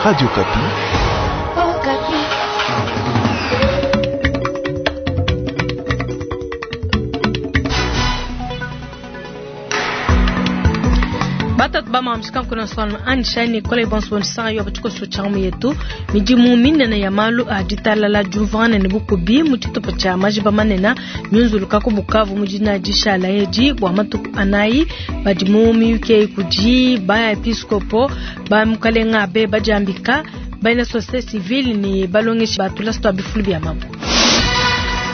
Radio Okapi. Batatu ba mamshika kuna swana anishani kole bonso bonsa yo batiko so chamu yetu midimu minene ya malu a ditalala jumvana ne bukubi mu tshitupa tshia majiba manene myunzuluka ku Bukavu mu dina dishala edi bua matuku anayi badi mu miyuki kudi ba episkopo ba mukalenga abe badiambika bena société civile ni balongeshi batula sto bifulu bia mabu.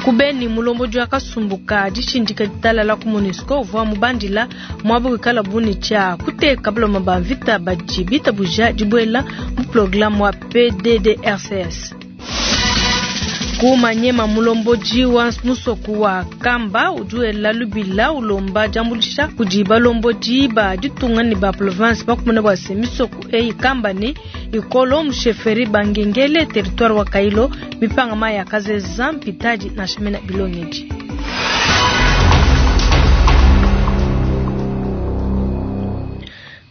Kubeni mulombodi wa kasumbuka dishindika ditalala ku MONUSCO uvua mubandila muaba wikala buni tshia kuteka baloma ba mvita badi bitabuja dibuela mu programme wa PDDRCS. Ku Manyema mulombodi wa musoku wa Kamba udi wela lubila ulomba diambuluisha kudi balombodi ba ditunga ne ba province bakumona bua se misoku eyi Kamba ne Ikolo musheferi bangengele territoire wa Kailo mipanga maya kazeza mpitadi na shimena bilongeji.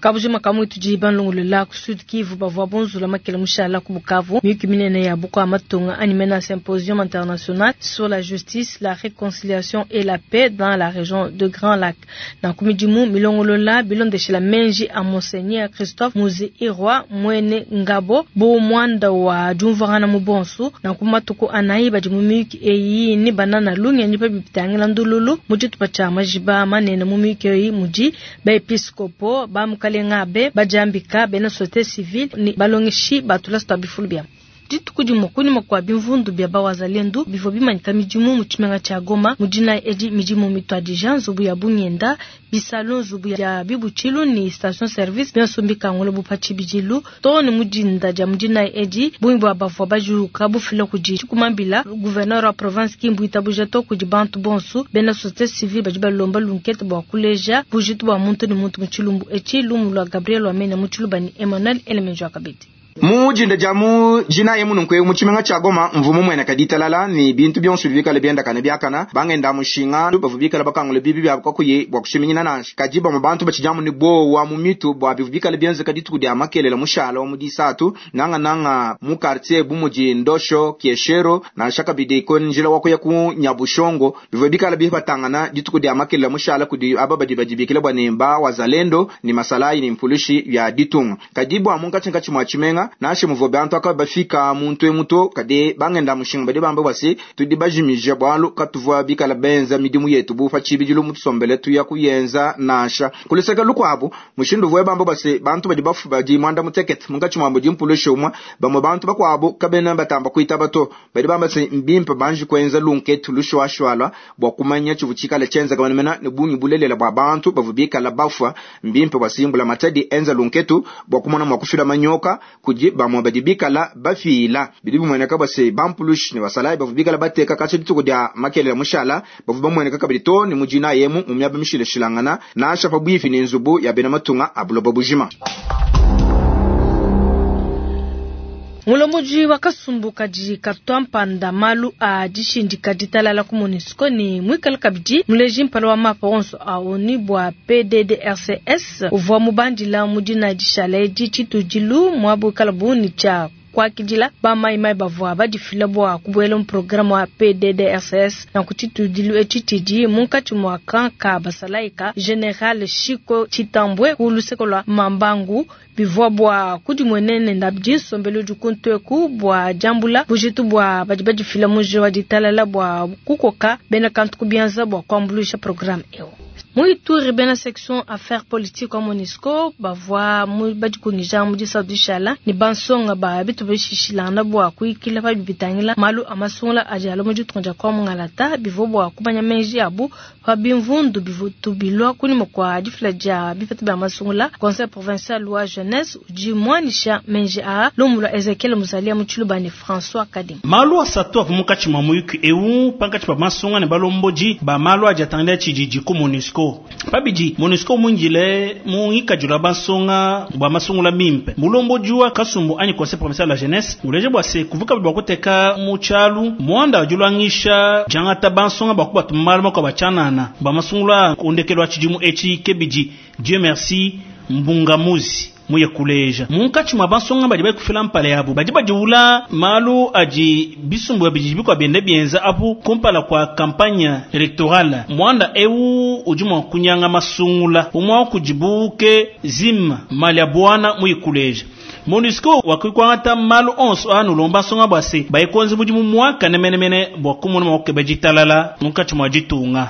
Kabujima kamwe tudi banlongolola ku Sud Kivu bavua bonzula makela mushala ku Bukavu miyuki minene ya bukua matunga animé na symposium international sur la justice, la réconciliation et la paix dans la région de Grand Lac. Na kumidimu milongolola bilondeshela menji a Monseigneur Christophe Muzi Irwa Mwene Ngabo bo mwanda wa jumvana mu bonsu na kumatuku anayi badi mu miyuki eyi ni banana lungenyi pa bipitangila ndululu mu tshitupa tshia majiba manene mu miyuki eyi mudi ba episkopo ba mukalenga abe badiambika bena société civile ni balongeshi batula sto bifulu bia dituku dimue kunyima kua bimvundu bia bawazalendu bivua bimanyika midimu mu tshimenga tshia Goma mu dina edi midimu mituadija nzubu ya bungenda bisalu nzubu ya bibutshilu ni station service bionso mbikangula bupa tshibidilu too ne mu dinda dia mu dina edi bungi bua bavua bajuka bufila kudi tshikumambila gouverneur wa province Kimbu itabuja to kudi bantu bonso bena société civile badi balomba lunkete bua kuleja bujitu bua muntu ne muntu mu tshilumbu etshi lumu lua Gabriel Wamena mu tshiluba ni Emmanuel Elemenjo Akabedi. Mu jinda ja mu jina ye mununku mu tshimenga tshia Goma mvumu mwene kaditalala ni bintu bionso bikale bienda kana biakana bangenda mushinga bavu bikala bakangule bibi bya kwakuye bwa kushiminyina nansha kadi bamwe bantu bachijamu ni bowa mu mitu bwa bivu bikale bienze kaditu dia makelela mushala wa mudisatu nanga nanga mu quartier bumuji Ndosho Kieshero nansha kabidi ko njila wakuya ku Nyabushongo bivu bikale bibatangana dituku dia makelela mushala kudi aba badi badibikila bwa nemba wazalendo ni masalai ni mfulushi ya ditunga kadi bwa munkachi nkachi mwa tshimenga nashe muvo bantu aka bafika muntu emuto kade bangenda mushinga bade bamba basi tudi bajimije bwalu katuvwa bikala benza midimu yetu bufa chibidilu mutusombele tuya kuyenza nasha kuliseka lukwabo mushindu vwe bamba basi bantu badi bafu badi mwanda mutekete munkachi mwambo dimpulushe umwa bamwe bantu bakwabo kabena batamba kuita bato badi bamba se mbimpa banji kwenza lunketu lushwashwala bwa kumanya chivuchikala chenza kamanamena ne bungi bulelela bwa bantu bavu bikala bafwa mbimpa basimbula matadi enza lunketu bwa kumona mwakufila manyoka kudi bamwe badi bikala bafila bidi bimweneka base bampulushi ne basalayi bavu bikala bateka katsha dituku dia makelela mushala bavu bamweneka kabidi to ne mujina yemu mu miaba mishilashilangana nasha pabwifi ne nzubu ya bena matunga abuloba bujima. Mulombodi wa kasumbu kadi katwa mpanda malu a dishindika ditalala ku MONUSCO ni mwikala kabidi muleji mpala wa mapa onso a ONU bua PDDRCS uvua mubandila mu dina dishala edi tshitudilu muabu ikala buni tshia kuakidila ba mai mai bavua badifila bua kubuela mu programme wa PDDRCS na ku tshitudilu etshi tshidi munkatshi mua camp ka basalayi ka General Chico Tshitambwe ku luseke lua Mambangu bivua bua kudimuenene ndabidi nsombelu udi kuntueku bua diambula bujitu bua badi badifila mu njila wa ditalala bua kukoka bena kantu ku bianza bua kuambuluisha programme eu. Mu Ituri bena section affaires politiques wa MONUSCO bavua mu badikungija mu disatu dishala ne bansonga ba bitu bishishilana bua kuikila pa bibitangila malu a masungula adi alua mu ditunga dia kwa Mungalata bivua bua kumanya meji abu pa bimvundu bivutu bilua kunyima kua difila dia bipeta bia masungula. Conseil provincial wa jeunesse udi muanisha meji a lumu lua Ezekiel Muzalia mu Tshiluba ne François Kadim. Malu asatu avua munkatshi mua muyuki eu pankatshi pa masunga ne balombodi ba malu adi atangila tshididi ku MONUSCO. Pabidi MONUSCO mwingile mu ngikadilu wa bansonga bua masungula mimpe mulombodi wa kasumbu anyi conseil provincial de la jeunesse uleje bua se kuvuka bua kuteka mu tshialu muanda wa diluangisha diangata bansonga bua kubatuma malu makuabu atshianana bua masungula ku ndekelu wa tshidimu etshi kebidi Dieu merci Mbungamuzi. Muye kuleja munkatshi mua bansonga badi baikufila mpala yabo badi badiwula malu adi bisumbu bidi bikwa biende bienza apu kumpala kwa campagne électorale. Mwanda eu udi mua kunyanga masungula umwa kudibuke zim malia bwana muye kuleja. MONUSCO wakikwangata malu onso anu lomba nsonga bwa se baikonze mudimu mwaka nemenemene bwa kumona mwa kukeba ditalala munkatshi mua ditunga.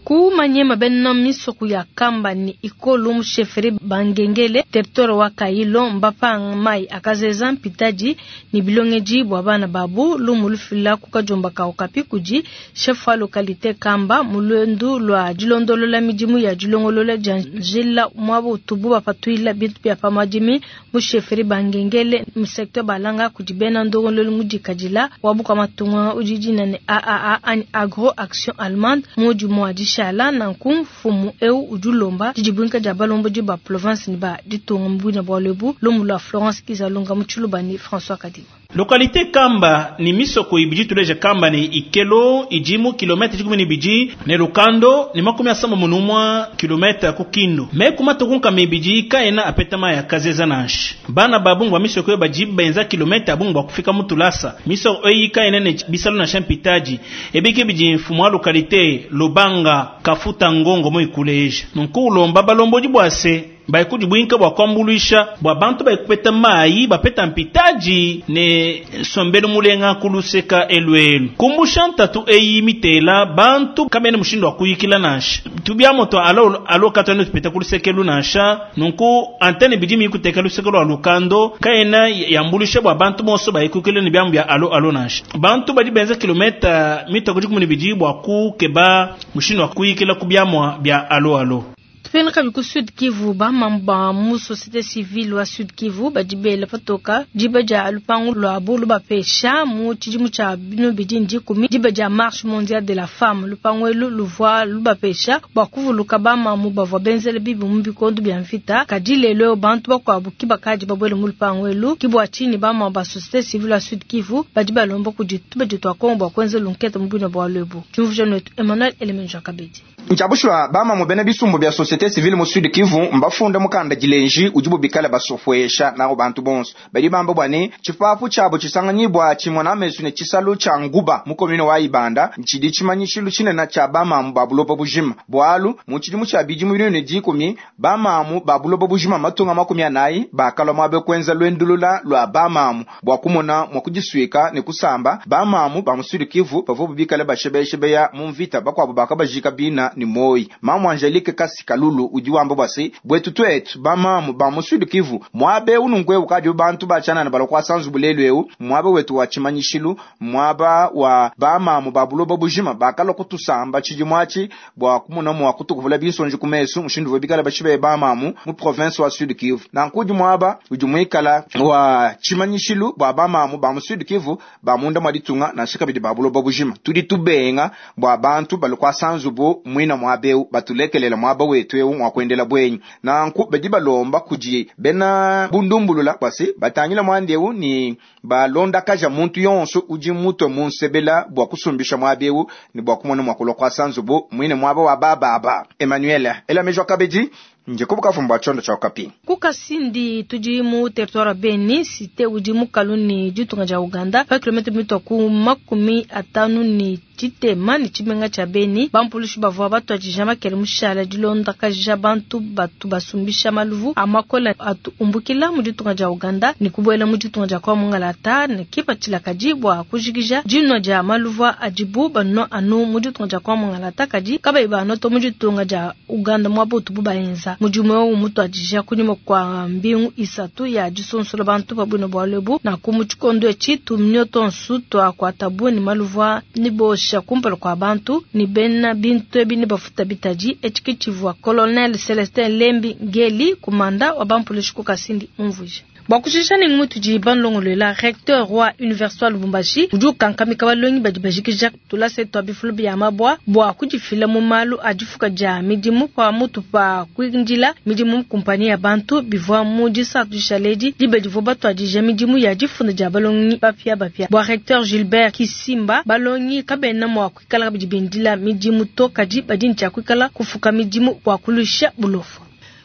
Ku Manyema bena misoko ya Kamba ni Ikolo mu chefferie Bangengele territoire wa Kailo mbapanga mai akazeza mpitaji ni bilongeji bwa bana babu lumu lufila kukajomba ka Okapi kudi chef wa localité Kamba mulwendu lwa dilondolola midimu ya dilongolola dia njila mwabo tubu bapatuila bintu bya pamadimi mu chefferie Bangengele mu secteur Balanga kudi bena ndongololo mudikadila wabuka matunga ujijina ne AAA ani Agro Action Allemande mudi mwa dishala nanku mfumu eu udulomba didibwinka dia balombo di ba province ni ba ditunga mbwina bwa lebu lumu lwa Florence Kizalunga mutshiluba ni François Kadima. Localité Kamba ni misoko ibidi tuleje Kamba ni Ikelo ijimu kilomita 12 ne Lukando ni 71 kilomita ku Kindu. Me kuma tukunka mibidi kaena apeta ya kazeza nanshi. Bana babungu ba misoko bajibu benza kilomita abungu ba kufika mutulasa. Misoko eyi kaena ne bisalo na shampitaji. Ebike bidi mfumu wa localité Lobanga kafuta ngongo mo ikuleje. Nunku lomba balombo dibwase baikudi bwinka bwa kwambuluisha bwa bantu baikupeta mai bapeta mpitaji ne sombelu mulenga kuluseka eluelu kumbusha ntatu eyi mitela bantu kamene mushindu wa kuyikila nansha tubia moto alo alo katano tupeta kulusekelu nansha nunku antene bidi mikuteka luseke lwa lukando kaena yambulisha bwa bantu bonso baikukile ne byambu bya alo alo nansha bantu badi benza kilomita mita kudi kumuni bidi bwa kukeba mushindu wa kuyikila kubyamwa bya alo alo. Tupena kabi ku Sud Kivu ba mamba mu société civile wa Sud Kivu badibela patoka diba dia lupangu lwa bulu bapesha mu tshidimu tshia binu bidi ndikumi diba dia marche mondiale de la femme lupangu elu luvua lubapesha bua kuvuluka bamamu bavua benzele bibi mu bikondo bia mvita kadi lelo bantu bakuabu kibakadi babwele mu lupangu elu kibua tshini bamamu ba société civile wa Sud Kivu badi balomba kudi tubadi twa Kongo bua kuenza lunkete mu bwina bua lwebu. Tshimvuja netu Emmanuel Elemenja Kabedi. Nchabushwa bamamu bena bisumbu bya société civile mu Sud Kivu mbafunda mukanda dilenji ujibu bikala basofwesha nawo bantu bonso bali bamba bwane chipapu chabo chisanganyibwa chimwe na mesu ne chisalu cha nguba mu commune wa Ibanda nchidi chimanyishilu chinena cha bamamu babulopa bujima bwalu mu chidimu cha bidi mu ne dikumi bamamu babulopa bujima matunga 40 bakala mwabe kwenza lwendulula lwa bamamu bwa kumona mwa kujiswika ne kusamba bamamu ba mu Sud Kivu bavubu bikala bashebeshebeya mu mvita bakwabo bakabajika bina ni moi mamu Angelique Kasikalulu udi wamba bwase bwetu twetu bamamu ba mu Sud Kivu mwabe unungwe ukadi bantu bachana na balokwa sanzu bulelu eu mwabe wetu wa chimanyishilu mwaba wa bamamu babuloba bujima bakala kutusamba chijimwachi bwa kumuna mwa kutukuvula bisonji kumesu mushindu bikala bashibe bamamu mu province wa Sud Kivu na nkudi mwaba udi mwikala wa chimanyishilu bwa bamamu ba mu Sud Kivu ba munda mwa ditunga na shikabidi babuloba bujima tudi tubenga bwa bantu balokwa sanzu bu mwina mwabeu batulekelela mwaba wetu eu mwakwendela bwenyi nanku badi balomba kuji bena bundumbulula bwasi batangila mwandeu ni balonda kaja muntu yonso udi mutwe munsebela bwa kusumbisha mwabeu ni bwa kumona mwakulwa kwa sanzubu mwine mwaba wa bababa Emmanuel ela mejwa kabedi nje kubuka fumba chondo cha Okapi. Kukasindi tudi mu territoire Beni cité udi mu kaluni ditunga dia Uganda pa kilomita mitwa ku 50 ni tshitema ni tshimenga tshia Beni bampulushi bavua batuadija makele mushala dilonda kaja bantu batu basumbisha maluvu amakola atu umbukila mu ditunga dia Uganda ni kubuela mu ditunga dia kwa mungalata ni kipatshila kadi bua kujikija dinua dia maluvu adibu banua anu mu ditunga dia kwa mungalata kadi kabayi banoto mu ditunga dia Uganda muaba utubu baenza mudimu eu mutuadija kunyima kwa mbingu isatu ya disonsola bantu pabwina bwa lebu na ku tshikondo etshi tumnio tonsu twakuatabu ni maluvu ni bosha kumpala kwa bantu ni bena bintu ebi ni bafuta bitaji etshi tshivua Colonel Celestin Lembi Ngeli kumanda wa bampulishi ku Kasindi umvuja. Bua kushisha ne mutudi banulongoluela, recteur wa Universite wa Lubumbashi udi ukankamika balongi badi bajikija tulasa tua bifulu bia mabua bua kudifila mu malu a difuka dia midimu pamutu pa kuindila midimu mu kumpanyi ya bantu. Bivua mu disatu dishale edi diba divua batuadija midimu ya difunda dia balongi bapiabapia. Bua recteur Gilbert Kisimba, balongi kabena mua kuikala kabidi bindila midimu to, kadi badi ne tshia kuikala kufuka midimu bua kuluisha bulofu.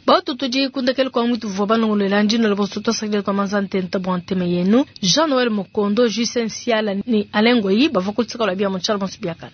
Bautu tudi kundekele kwa mwitu vua banongolola ndino bonso twasakidila twa manza ntenta bua nteme yenu. Jean Noël Mokondo, Justin Siala ni Alain Ngoyi bavua kutsika lwa bia mu tshialo bonso biakana.